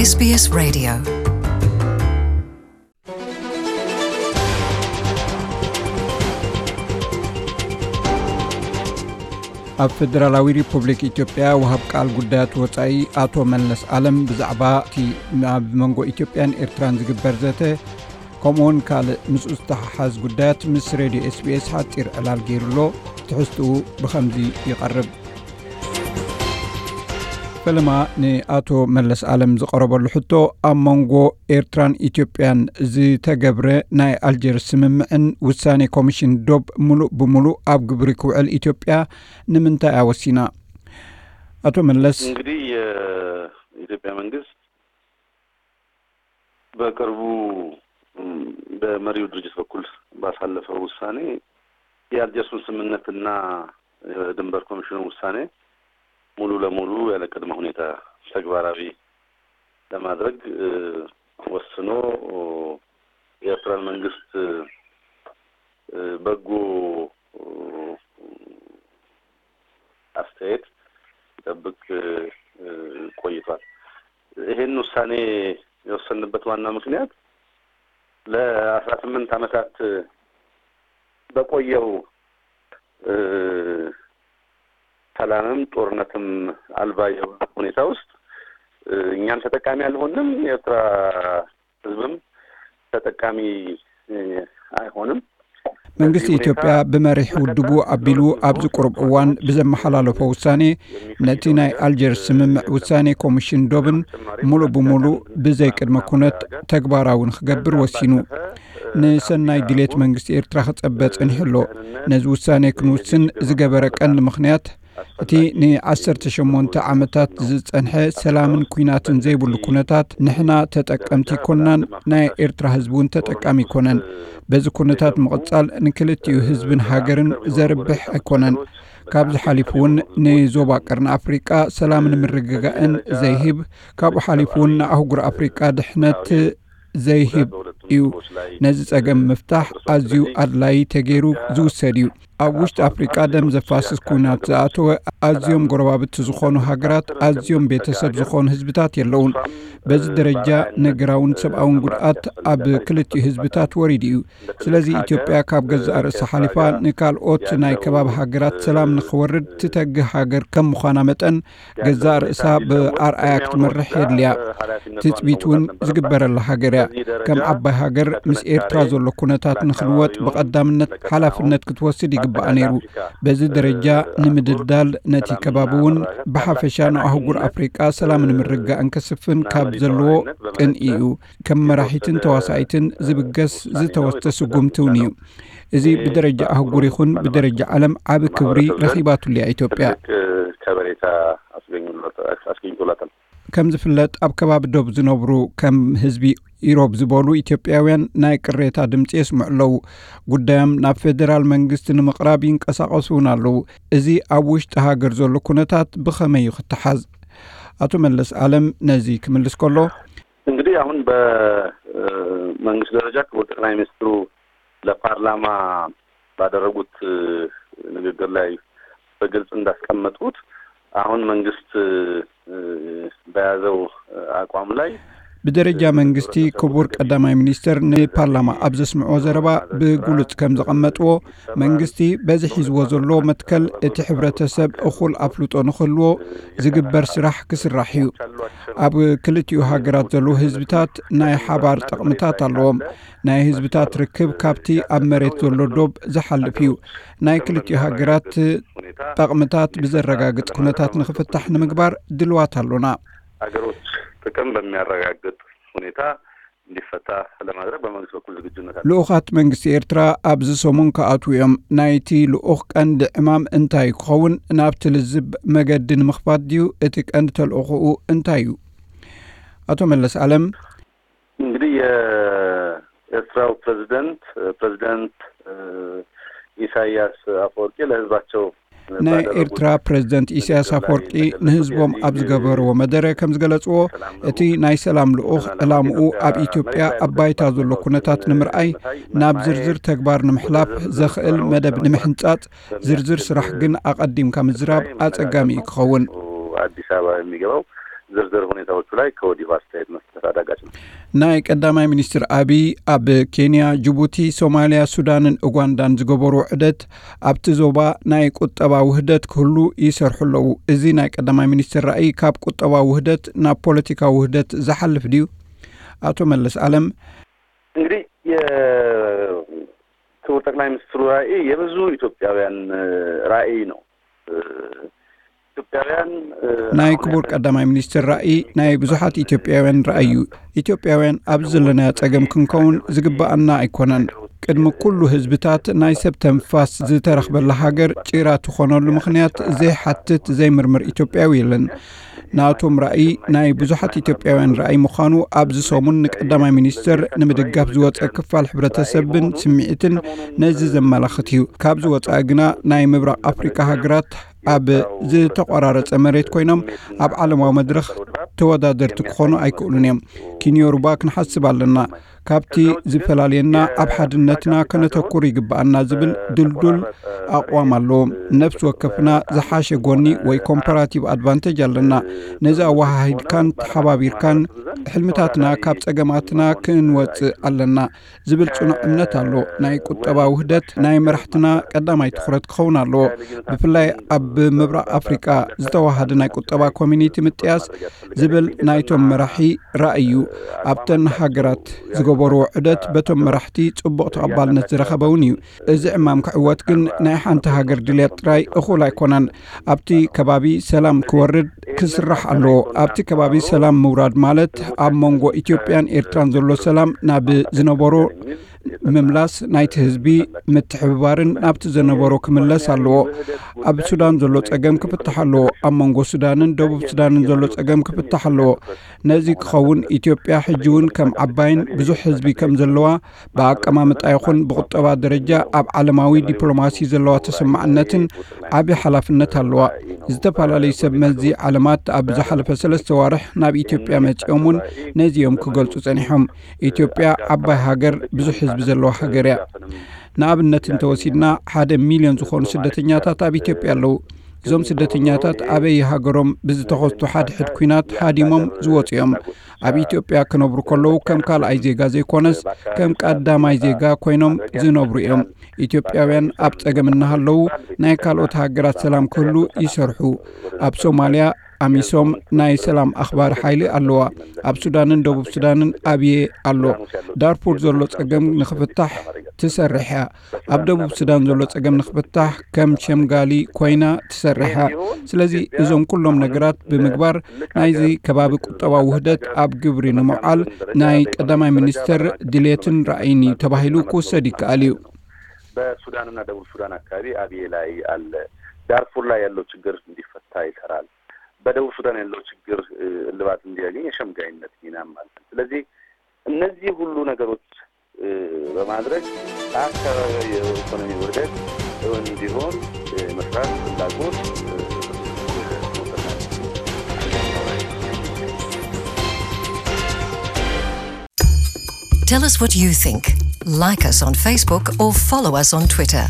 SBS Radio. ኣብ ፌደራላዊ ሪፑብሊክ ኢትዮጵያ ወሃብ ቃል ጉዳያት ወጻኢ ኣቶ መለስ ኣለም ብዛዕባ እቲ ኣብ መንጎ ኢትዮጵያን ኤርትራን ዝግበር ዘተ፣ ከምኡውን ካልእ ምስኡ ዝተሓሓዝ ጉዳያት ምስ ሬድዮ ኤስቢኤስ ሓጺር ዕላል ገይሩሎ። ትሕዝትኡ ብኸምዚ ይቐርብ። ፈለማ ንኣቶ መለስ ኣለም ዝቐረበሉ ሕቶ፣ ኣብ መንጎ ኤርትራን ኢትዮጵያን ዝተገብረ ናይ ኣልጀርስ ስምምዕን ውሳኔ ኮሚሽን ዶብ ምሉእ ብምሉእ ኣብ ግብሪ ክውዕል ኢትዮጵያ ንምንታይ ኣወሲና? ኣቶ መለስ። እንግዲህ የኢትዮጵያ መንግስት በቅርቡ፣ እም፣ በመሪው ድርጅት በኩል ባሳለፈው ውሳኔ የአልጀርሱን ስምምነትና የድንበር ኮሚሽኑ ውሳኔ ሙሉ ለሙሉ ያለ ቅድመ ሁኔታ ተግባራዊ ለማድረግ፣ እ፣ ወስኖ፣ ኦ፣ የኤርትራን መንግስት፣ እ፣ በጎ፣ ኦ፣ አስተያየት ሲጠብቅ፣ እ፣ ቆይቷል። ይሄን ውሳኔ የወሰንበት ዋና ምክንያት ለአስራ ስምንት ዓመታት በቆየው፣ እ፣ ሰላምም ጦርነትም አልባ የሆነ ሁኔታ ውስጥ፣ እ፣ እኛም ተጠቃሚ አልሆንም፣ የኤርትራ ህዝብም ተጠቃሚ፣ እ፣ አይሆንም። መንግስቲ በዚህ ሁኔታ ኢትዮጵያ ብመሪሕ ውድቡ አቢሉ ኣብዚ ቁሩብ እዋን ብዘመሓላለፎ ውሳኔ፣ ነቲ ናይ አልጀርስ ስምምዕ ውሳኔ ኮሚሽን ዶብን ሙሉእ ብሙሉእ ብዘይ ቅድመ ኩነት ተግባራዊ ንክገብር ወሲኑ። ንሰናይ ድሌት መንግስቲ ኤርትራ ክጸበ ጸኒሑ ኣሎ። ነዚ ውሳኔ ክንውስን ዝገበረ ቀንዲ ምኽንያት፣ እቲ ንዓሰርተ ሸሞንተ ዓመታት ዝጸንሐ ሰላምን ኲናትን ዘይብሉ ኩነታት፣ ንሕና ተጠቀምቲ ኣይኮናን፣ ናይ ኤርትራ ህዝቢ እውን ተጠቃሚ ኣይኮነን። በዚ ኩነታት ምቕጻል ንክልቲኡ ህዝብን ሃገርን ዘርብሕ ኣይኮነን። ካብዚ ሓሊፉ እውን ንዞባ ቀርኒ ኣፍሪቃ ሰላምን ምርግጋእን ዘይህብ፣ ካብኡ ሓሊፉ እውን ንኣህጉር ኣፍሪቃ ድሕነት ዘይህብ እዩ። ነዚ ጸገም ምፍታሕ ኣዝዩ ኣድላዪ ተገይሩ ዝውሰድ እዩ። ኣብ ውሽጢ ኣፍሪቃ ደም ዘፋስስ ኲናት ዝኣተወ፣ ኣዝዮም ጎረባብቲ ዝኾኑ ሃገራት፣ ኣዝዮም ቤተሰብ ዝኾኑ ህዝብታት የለውን። በዚ ደረጃ ነገራውን ሰብኣውን ጉድኣት ኣብ ክልቲኡ ህዝብታት ወሪዱ እዩ። ስለዚ ኢትዮጵያ ካብ ገዛእ ርእሳ ሓሊፋ ንካልኦት ናይ ከባቢ ሃገራት ሰላም ንኽወርድ ትተግህ ሃገር ከም ምዃና መጠን፣ ገዛእ ርእሳ ብኣርኣያ ክትመርሕ የድልያ። ትጽቢት እውን ዝግበረላ ሃገር እያ። ከም ዓባይ ሃገር ምስ ኤርትራ ዘሎ ኩነታት ንኽልወጥ ብቐዳምነት ሓላፍነት ክትወስድ ይግባኣ ነይሩ። በዚ ደረጃ ንምድልዳል ነቲ ከባቢ እውን ብሓፈሻ ንኣህጉር ኣፍሪቃ ሰላምን ምርግጋእን ከስፍን ካብ ዘለዎ ቅንኢ እዩ። ከም መራሒትን ተዋሳኢትን ዝብገስ ዝተወስደ ስጉምቲ እውን እዩ። እዚ ብደረጃ ኣህጉር ይኹን ብደረጃ ዓለም ዓቢ ክብሪ ረኺባትሉ እያ ኢትዮጵያ። ትልቅ ከበሬታ አስገኝሎት-፣ አስገኝቶላታል። ከም ዝፍለጥ፣ ኣብ ከባቢ ዶብ ዝነብሩ ከም ህዝቢ ኢሮብ ዝበሉ ኢትዮጵያውያን ናይ ቅሬታ ድምጺ የስምዑ ኣለዉ። ጉዳዮም ናብ ፌደራል መንግስቲ ንምቕራብ ይንቀሳቐሱ እውን ኣለዉ። እዚ ኣብ ውሽጢ ሃገር ዘሎ ኩነታት ብኸመይ እዩ ክተሓዝ? ኣቶ መለስ ኣለም ነዚ ክምልስ ከሎ፣ እንግዲህ አሁን በመንግስት ደረጃ ክቡር ጠቅላይ ሚኒስትሩ ለፓርላማ ባደረጉት ንግግር ላይ በግልጽ እንዳስቀመጡት፣ አሁን መንግስት በያዘው አቋም ላይ ብደረጃ መንግስቲ ክቡር ቀዳማይ ሚኒስትር ንፓርላማ ኣብ ዘስምዕዎ ዘረባ ብግሉጽ ከም ዘቐመጥዎ፣ መንግስቲ በዚ ሒዝዎ ዘሎ መትከል እቲ ሕብረተሰብ እኹል ኣፍልጦ ንክህልዎ ዝግበር ስራሕ ክስራሕ እዩ። ኣብ ክልቲኡ ሃገራት ዘለዉ ህዝብታት ናይ ሓባር ጠቕምታት ኣለዎም። ናይ ህዝብታት ርክብ ካብቲ ኣብ መሬት ዘሎ ዶብ ዝሓልፍ እዩ። ናይ ክልቲኡ ሃገራት ጠቕምታት ብዘረጋግጽ ኩነታት ንክፍታሕ ንምግባር ድልዋት ኣሎና። ሀገሮች ጥቅም በሚያረጋግጥ ሁኔታ እንዲፈታ ለማድረግ በመንግስት በኩል ዝግጁነት አለ። ልኡኻት መንግስቲ ኤርትራ ኣብዚ ሰሙን ክኣትዉ እዮም። ናይቲ ልኡኽ ቀንዲ ዕማም እንታይ ክኸውን? ናብቲ ልዝብ መገዲ ንምኽፋት ድዩ? እቲ ቀንዲ ተልእኾኡ እንታይ እዩ? ኣቶ መለስ ኣለም። እንግዲህ የኤርትራው ፕሬዝደንት፣ ፕሬዝደንት፣ እ፣ ኢሳያስ አፈወርቂ ለህዝባቸው ናይ ኤርትራ ፕሬዝደንት ኢሳያስ ኣፈወርቂ ንህዝቦም ኣብ ዝገበርዎ መደረ ከም ዝገለጽዎ፣ እቲ ናይ ሰላም ልኡኽ ዕላምኡ ኣብ ኢትዮጵያ ኣብ ባይታ ዘሎ ኩነታት ንምርኣይ ናብ ዝርዝር ተግባር ንምሕላፍ ዘኽእል መደብ ንምሕንጻጽ፣ ዝርዝር ስራሕ ግን ኣቐዲምካ ምዝራብ ኣጸጋሚ እዩ ክኸውን። አዲስ አበባ የሚገባው ዝርዝር ሁኔታዎቹ ላይ ከወዲሁ አስተያየት መስጠት አዳጋች ነው። ናይ ቀዳማይ ሚኒስትር አብይ ኣብ ኬንያ፣ ጅቡቲ፣ ሶማሊያ፣ ሱዳንን ኡጋንዳን ዝገበሩ ውዕደት ኣብቲ ዞባ ናይ ቁጠባ ውህደት ክህሉ ይሰርሑ ኣለዉ። እዚ ናይ ቀዳማይ ሚኒስትር ራእይ ካብ ቁጠባ ውህደት ናብ ፖለቲካዊ ውህደት ዝሓልፍ ድዩ? ኣቶ መለስ ኣለም። እንግዲህ የክቡር ጠቅላይ ሚኒስትሩ ራእይ የብዙ ኢትዮጵያውያን ራእይ ነው። ኢትዮጵያውያን ናይ ክቡር ቀዳማይ ሚኒስትር ራእይ ናይ ብዙሓት ኢትዮጵያውያን ራእይ እዩ። ኢትዮጵያውያን ኣብዚ ዘለናዮ ጸገም ክንከውን ዝግባኣና ኣይኮነን። ቅድሚ ኩሉ ህዝብታት ናይ ሰብ ተንፋስ ዝተረኽበላ ሃገር ጭራ ትኾነሉ ምኽንያት ዘይሓትት ዘይምርምር ኢትዮጵያዊ የለን። ናቶም ራእይ ናይ ብዙሓት ኢትዮጵያውያን ራእይ ምዃኑ ኣብዚ ሰሙን ንቀዳማይ ሚኒስትር ንምድጋፍ ዝወጸ ክፋል ሕብረተሰብን ስምዒትን ነዚ ዘመላኽት እዩ። ካብዚ ወጻኢ ግና ናይ ምብራቕ ኣፍሪካ ሃገራት ኣብ ዝተቆራረጸ መሬት ኮይኖም ኣብ ዓለማዊ መድረኽ ተወዳደርቲ ክኾኑ ኣይክእሉን እዮም። ኪንዮሩባ ክንሓስብ ኣለና። ካብቲ ዝፈላልየና ኣብ ሓድነትና ከነተኩር ይግባኣና ዝብል ድልዱል ኣቕዋም ኣለዎም። ነፍሲ ወከፍና ዝሓሸ ጎኒ ወይ ኮምፓራቲቭ ኣድቫንቴጅ ኣለና። ነዚ ኣወሃሂድካን ተሓባቢርካን ሕልምታትና ካብ ጸገማትና ክንወጽእ ኣለና ዝብል ጽኑዕ እምነት ኣሎ። ናይ ቁጠባ ውህደት ናይ መራሕትና ቀዳማይ ትኹረት ክኸውን ኣለዎ። ብፍላይ ኣብ ምብራቕ ኣፍሪቃ ዝተዋሃደ ናይ ቁጠባ ኮሚኒቲ ምጥያስ ዝብል ናይቶም መራሒ ራእይ እዩ። ኣብተን ሃገራት ዝገበርዎ ዑደት በቶም መራሕቲ ጽቡቕ ተቐባልነት ዝረኸበ እውን እዩ። እዚ ዕማም ክዕወት ግን ናይ ሓንቲ ሃገር ድልየት ጥራይ እኹል ኣይኮነን። ኣብቲ ከባቢ ሰላም ክወርድ ክስራሕ ኣለዎ። ኣብቲ ከባቢ ሰላም ምውራድ ማለት ኣብ መንጎ ኢትዮጵያን ኤርትራን ዘሎ ሰላም ናብ ዝነበሮ ምምላስ፣ ናይቲ ህዝቢ ምትሕብባርን ናብቲ ዝነበሮ ክምለስ ኣለዎ። ኣብ ሱዳን ዘሎ ጸገም ክፍታሕ ኣለዎ። ኣብ መንጎ ሱዳንን ደቡብ ሱዳንን ዘሎ ጸገም ክፍታሕ ኣለዎ። ነዚ ክኸውን ኢትዮጵያ ሕጂ እውን ከም ዓባይን ብዙሕ ህዝቢ ከም ዘለዋ ብኣቀማምጣ ይኹን ብቁጠባ ደረጃ ኣብ ዓለማዊ ዲፕሎማሲ ዘለዋ ተሰማዕነትን ዓቢ ሓላፍነት ኣለዋ። ዝተፈላለዩ ሰብ መዚ ዓለማት ኣብ ዝሓለፈ ሰለስተ ዋርሕ ናብ ኢትዮጵያ መጺኦም እውን ነዚ እዮም ክገልጹ ጸኒሖም። ኢትዮጵያ ዓባይ ሃገር፣ ብዙሕ ህዝቢ ዘለዋ ሃገር እያ። ንኣብነት እንተወሲድና ሓደ ሚልዮን ዝኾኑ ስደተኛታት ኣብ ኢትዮጵያ ኣለዉ። እዞም ስደተኛታት ኣበይ ሃገሮም ብዝተኸስቱ ሓድሕድ ኲናት ሃዲሞም ዝወጹ እዮም። ኣብ ኢትዮጵያ ክነብሩ ከለዉ ከም ካልኣይ ዜጋ ዘይኮነስ ከም ቀዳማይ ዜጋ ኮይኖም ዝነብሩ እዮም። ኢትዮጵያውያን ኣብ ጸገም እናሃለዉ ናይ ካልኦት ሃገራት ሰላም ክህሉ ይሰርሑ። ኣብ ሶማልያ ኣሚሶም ናይ ሰላም ኣኽባሪ ሓይሊ ኣለዋ። ኣብ ሱዳንን ደቡብ ሱዳንን ኣብየ ኣሎ። ዳርፉር ዘሎ ጸገም ንኽፍታሕ ትሰርሕ እያ። ኣብ ደቡብ ሱዳን ዘሎ ጸገም ንኽፍታሕ ከም ሸምጋሊ ኮይና ትሰርሕ እያ። ስለዚ እዞም ኩሎም ነገራት ብምግባር ናይዚ ከባቢ ቁጠባዊ ውህደት ኣብ ግብሪ ንምውዓል ናይ ቀዳማይ ሚኒስትር ድሌትን ራእይን እዩ ተባሂሉ ክውሰድ ይከኣል እዩ። በሱዳንና ደቡብ ሱዳን አካባቢ አብዬ ላይ አለ። ዳርፉር ላይ ያለው ችግር እንዲፈታ ይሰራል። በደቡብ ሱዳን ያለው ችግር እልባት እንዲያገኝ የሸምጋይነት ሚናም አለ። ስለዚህ እነዚህ ሁሉ ነገሮች በማድረግ አካባቢያዊ የኢኮኖሚ ውህደት እውን እንዲሆን መስራት ፍላጎት Tell us what you think. Like us on Facebook or follow us on Twitter.